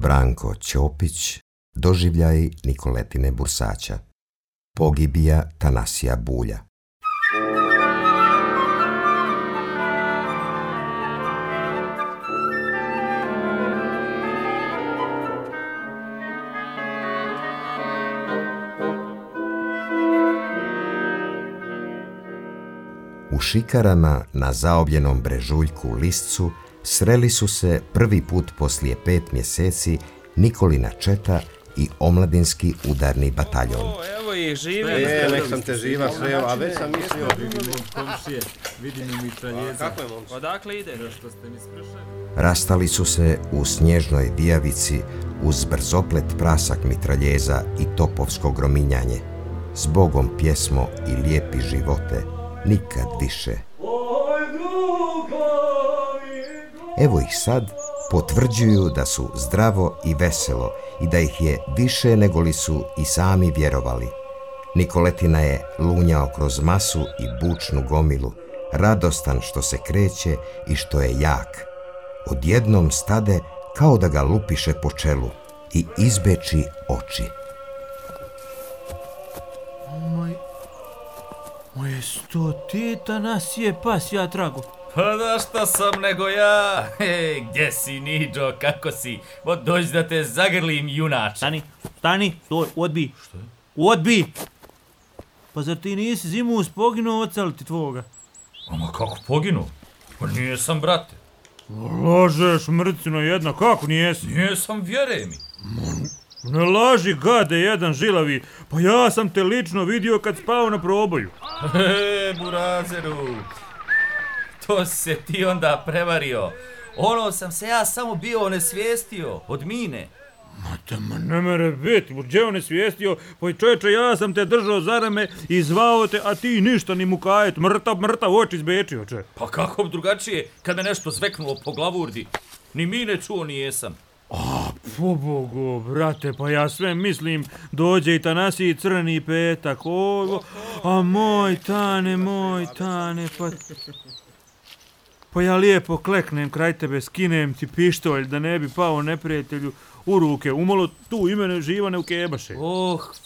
Branko Ćopić, doživljaj Nikoletine Bursaća. Pogibija Tanasija Bulja. U šikarama na zaobljenom brežuljku Liscu sreli su se prvi put poslije 5 mjeseci Nikolina četa i omladinski udarni bataljon. Evo ih, žive. Nek sam te živa sreo, a već sam mislio. Vidim i mitraljeza. Odakle ide? Što ste mi spršali? Rastali su se u snježnoj dijavici uz brzoplet prasak mitraljeza i topovsko grominjanje. Zbogom pjesmo i lijepi živote, nikad više. Evo ih sad, potvrđuju da su zdravo i veselo i da ih je više nego li su i sami vjerovali. Nikoletina je lunjao kroz masu i bučnu gomilu, radostan što se kreće i što je jak. Odjednom stade kao da ga lupiše po čelu i izbeči oči. Moje 100 teta nas je pas ja trago. Pa da šta sam nego ja? Gdje si, Niđo, kako si? Dođi da te zagrlim, junače. Stani, stoj, odbi. Što je? Odbi! Pa zar ti nisi zimus poginuo od celiti tvoga? Ama kako poginuo? Pa nijesam, brate. Lažeš, mrcino jedna, kako nijesi? Nijesam, vjeruj mi. Ne laži, gade, jedan žilavi. Pa ja sam te lično vidio kad spao na proboju. Burazeru. To se ti onda prevario. Ono sam se ja samo bio onesvijestio od mine. Ma ne mere biti, gdje onesvijestio? Pa čovječe, ja sam te držao za rame i zvao te, a ti ništa ni mukajet. Mrtav oči izbečio, če. Pa kako drugačije kad me nešto zveknulo po glavurdi? Ni mine čuo ni jesam. A, pobogu, brate, pa ja sve mislim, dođe i Tanasiji crni petak, a moj tane, pa ja lijepo kleknem kraj tebe, skinem ti pištolj da ne bi pao neprijatelju u ruke, umalo tu imene živane u kebaše.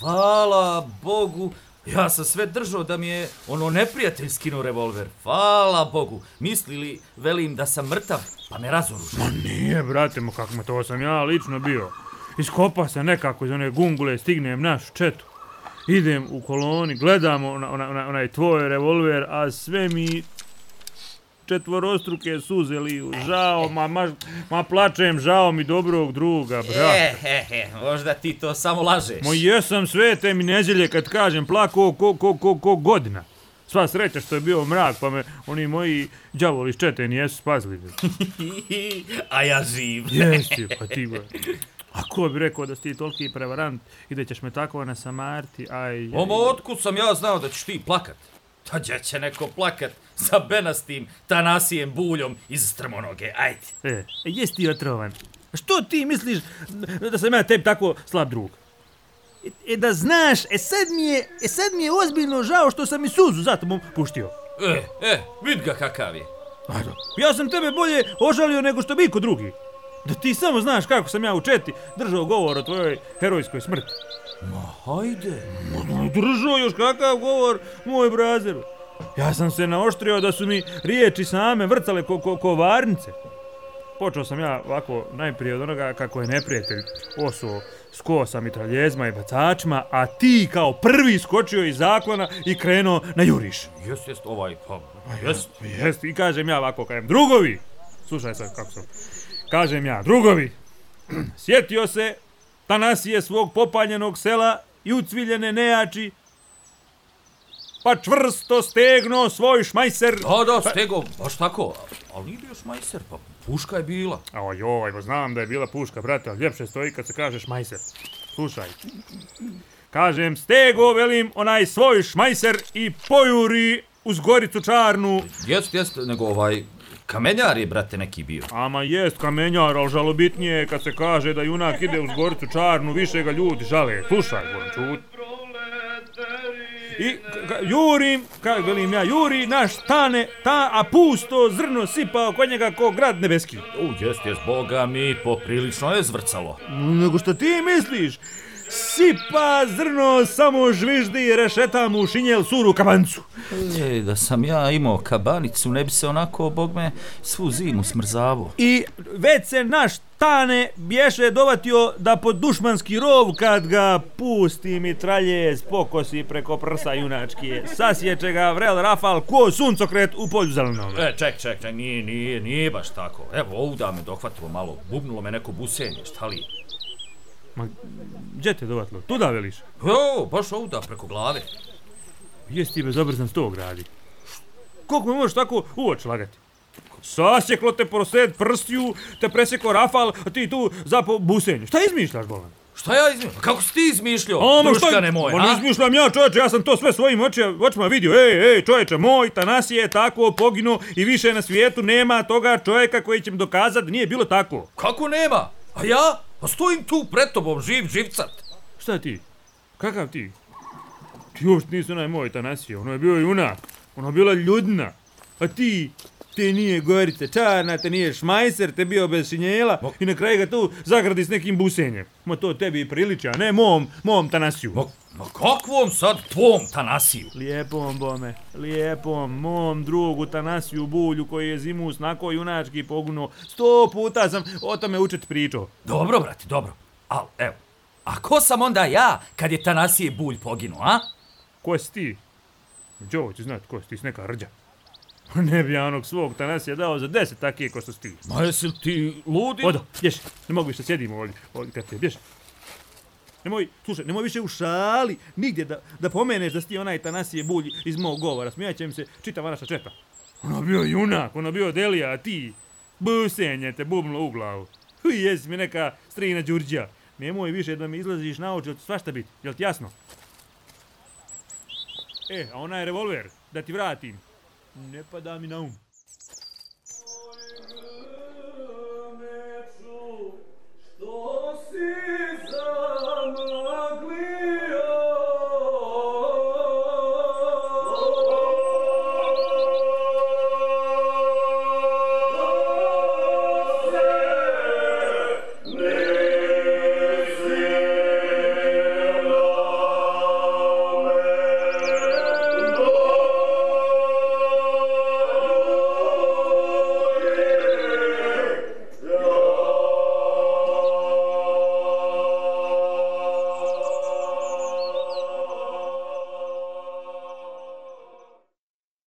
Hvala Bogu, ja sam sve držao da mi je ono neprijatelj skinuo revolver, hvala Bogu, mislili, velim da sam mrtav, pa me razoružio. Ma nije, brate, kako me to sam ja lično bio. Iskopa se nekako iz one gungule, stignem našu četu. Idem u koloni, gledamo onaj tvoj revolver, a sve mi četvorostruke suze liju. Žao, ma plačem, žao mi dobrog druga, brate. Možda ti to samo lažeš. Jesam sve te mi neđelje kad kažem plako ko godina. Sva sreća što je bio mrak, pa me oni moji đavoli iz čete nijesu spazili. A ja živ. Jesi, pa ti ba. A ko bi rekao da si ti toliki prevarant i da ćeš me tako nasamariti, aj. Otkud sam ja znao da ćeš ti plakat? Pa gdje će neko plakat sa benastim Tanasijem Buljom iz Strmonoge, ajde. Jesi ti otrovan? Što ti misliš da sam ja tebi tako slab drug? Da znaš, sad mi je ozbiljno žao što sam i suzu zato mu puštio. Vid ga kakav je. Ja sam tebe bolje ožalio nego što bi ko drugi. Da ti samo znaš kako sam ja u četi držao govor o tvojoj herojskoj smrti. Ma hajde. Držao još kakav govor, moj brazeru. Ja sam se naoštrio da su mi riječi same vrcale ko varnice. Počeo sam ja ovako najprije od onoga kako je neprijatelj osuo s kosa, mitraljezma i bacačima, a ti kao prvi skočio iz zaklona i krenuo na juriš. Jest, i kažem ja ovako, drugovi, slušaj sad kako sam, kažem ja, drugovi, sjetio se Tanasije svog popaljenog sela i ucviljene nejači, pa čvrsto stegno svoj šmajser. Da, stego, baš tako, ali nije bio šmajser, pa puška je bila. Joj, znam da je bila puška, brate, ali ljepše stoji kad se kaže šmajser. Slušaj, kažem, stego, velim, onaj svoj šmajser i pojuri uz Goricu Čarnu. Jest, nego kamenjar je, brate, neki bio. Ama jest kamenjar, ali žalobitnije je kad se kaže da junak ide uz Goricu Čarnu, više ga ljudi žale. Slušaj, Goran, čut. I jurim, kako velim ja, juri naš Tane, a pusto zrno sipao kod njega ko grad nebeski. Jest, boga mi, poprilično je zvrcalo. Nego što ti misliš? Sipa zrno, samo žviždi i rešeta mu šinjel suru kabancu. Da sam ja imao kabanicu, ne bi se onako, bog me, svu zimu smrzavo. I već se naš Tane bješe dovatio da pod dušmanski rov kad ga pusti mitraljez pokosi preko prsa junački. Sasjeće ga vrel rafal ko suncokret u polju zelenom. Ček, nije baš tako. Evo, ovda me dohvatilo malo, bubnulo me neko busenje, šta li? Ma, gdje te dovatilo? Tuda veliš? Jo, baš ovda, preko glave. Jesi ti bezobrazan s tog radi? Koliko me možeš tako u oči lagati? Sasjeklo te prosred prstiju, te presjeklo rafal, a ti tu zapo busenju. Šta izmišljaš, bolan? Šta ja izmišljam? Kako si ti izmišljao, druškane moje, a? Ne izmišljam ja, čovječe, ja sam to sve svojim očima vidio. Ej, čovječe, moj Tanasije je tako poginuo i više na svijetu nema toga čovjeka koji će mi dokazati da nije bilo tako. Kako nema? A ja? A stojim tu pred tobom, živcat. Šta ti? Kakav ti? Ti uopšte nisi onaj moj Tanasije, ono je bio junak, ono je bila ljudna. A ti, te nije Gorica Čarna, te nije Šmajser, te bio bez šinjela i na kraju ga tu zagradi s nekim busenjem. Ma to tebi priliči, a ne mom Tanasiju. Ma kakvom sad tvom Tanasiju? Lijepom, bome, lijepom, mom drugu Tanasiju Bulju koji je zimus nako junački pogunuo. 100 puta sam o tome učet pričao. Dobro, brate, dobro. Al, evo, a ko sam onda ja kad je Tanasije Bulj poginuo, a? Ko si ti? Đo će znat ko si ti, s neka rđa. Ne bi ja onog svog Tanasija dao za 10 takije ko što si ti. Ma jesi li ti ludi? Odo, bježi, ne mogu više sjedimo ovdje kad te, bježi. Nemoj više u šali, nigdje da pomeneš da si ti onaj Tanasije Bulj iz mog govora. Smijat će mi se čitava naša četa. Ono bio junak, ono bio Delija, a ti busenje te bubnulo u glavu. Jesi mi neka strina Đurđa. Nemoj više da mi izlaziš na oči, svašta biti, jel ti jasno? A onaj revolver, da ti vratim, ne pada mi na um.